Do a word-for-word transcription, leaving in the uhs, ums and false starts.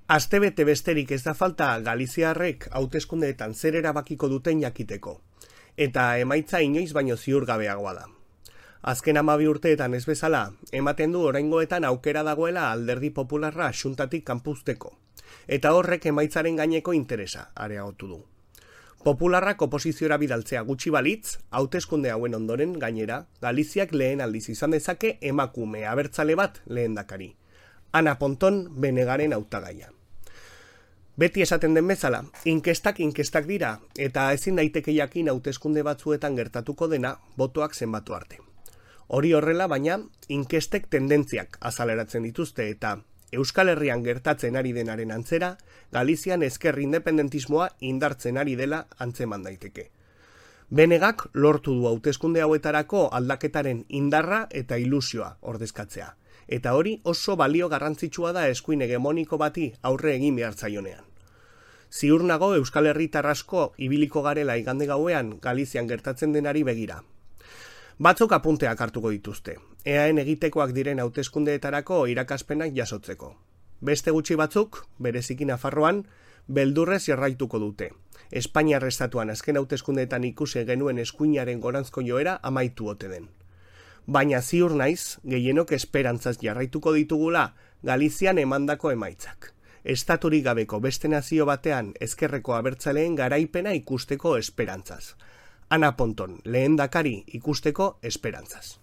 Astebete besterik ez da falta galiziarrek hauteskundeetan zer erabakiko duten jakiteko, eta emaitza inoiz baino ziurgabeagoa da. Azken hamabi urteetan ez bezala, ematen du oraingoetan aukera dagoela alderdi popularra xuntatik kanpuzteko, eta horrek emaitzaren gaineko interesa areagotu du. Popularrak oposiziora bidaltzea gutxi balitz, hauteskunde hauen ondoren gainera, Galiziak lehen aldiz izan dezake emakume abertzale bat lehendakari. Ana Ponton Benegaren hautagaia. Beti esaten den bezala, inkestak inkestak dira, eta ezin daiteke jakin hauteskunde batzuetan gertatuko dena botoak zenbatu arte. Hori horrela, baina, inkestek tendentziak azaleratzen dituzte eta Euskal Herrian gertatzen ari denaren antzera, Galizian ezker independentismoa indartzen ari dela antzeman daiteke. Benegak lortu du hauteskunde hauetarako aldaketaren indarra eta ilusioa ordezkatzea. Eta hori oso balio garrantzitsua da eskuin hegemoniko bati aurre egin behar zaionean. Ziur nago Euskal Herritar asko ibiliko garela igande gauean Galizian gertatzen denari begira. Batzuk apunteak hartuko dituzte, eaen egitekoak diren hauteskundeetarako irakaspenak jasotzeko. Beste gutxi batzuk, bereziki Nafarroan, beldurrez jarraituko dute. Espainiar estatuan azken hauteskundeetan ikusi genuen eskuinaren goranzko joera amaitu ote den. Baina ziur naiz, gehienok esperantzaz jarraituko ditugula Galizian emandako emaitzak. Estaturik gabeko beste nazio batean ezkerreko abertzaleen garaipena ikusteko esperantzaz. Ana Ponton lehendakari ikusteko esperantzaz.